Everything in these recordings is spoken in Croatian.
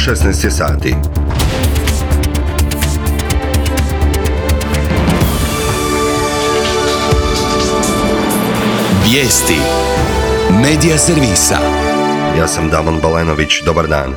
16 je sati. Vijesti Medija servisa. Ja sam Damon Balenović, dobar dan.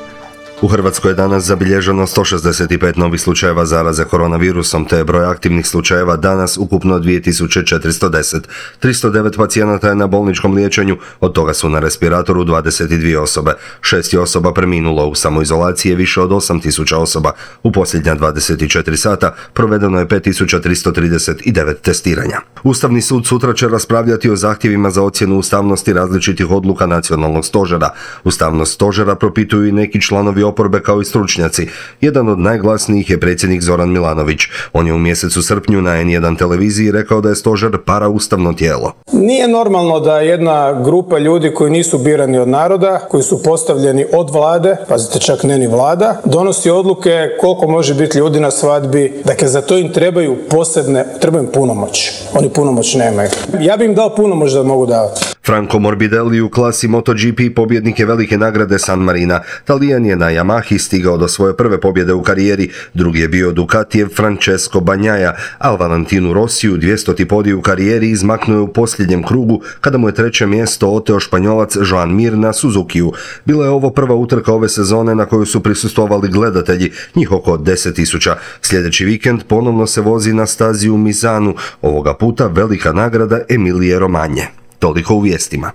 U Hrvatskoj je danas zabilježeno 165 novih slučajeva zaraze koronavirusom, te je broj aktivnih slučajeva danas ukupno 2410. 309 pacijenata je na bolničkom liječenju, od toga su na respiratoru 22 osobe. 6 je osoba preminulo, u samoizolaciji je više od 8000 osoba. U posljednja 24 sata provedeno je 5339 testiranja. Ustavni sud sutra će raspravljati o zahtjevima za ocjenu ustavnosti različitih odluka nacionalnog stožera. Ustavnost stožera propituju i neki članovi oporbe kao i stručnjaci. Jedan od najglasnijih je predsjednik Zoran Milanović. On je u mjesecu srpnju na N1 televiziji rekao da je stožer paraustavno tijelo. Nije normalno da jedna grupa ljudi koji nisu birani od naroda, koji su postavljeni od vlade, pazite čak ne ni vlada, donosi odluke koliko može biti ljudi na svadbi. Dakle, za to im trebaju punomoć. Oni punomoć nemaju. Ja bi im dao punomoć da mogu davati. Franco Morbidelli u klasi MotoGP pobjednik je velike nagrade San Marina. Talijan je na Yamahi stigao do svoje prve pobjede u karijeri, drugi je bio Ducatijev Francesco Bagnaia, a Valentinu Rossiju 200. podij u karijeri izmaknuo je u posljednjem krugu kada mu je treće mjesto oteo Španjolac Joan Mir na Suzukiju. Bila je ovo prva utrka ove sezone na koju su prisustvovali gledatelji, njih oko 10.000. Sljedeći vikend ponovno se vozi na stazi u Misanu, ovoga puta velika nagrada Emilije Romanje. Toliko u vijestima.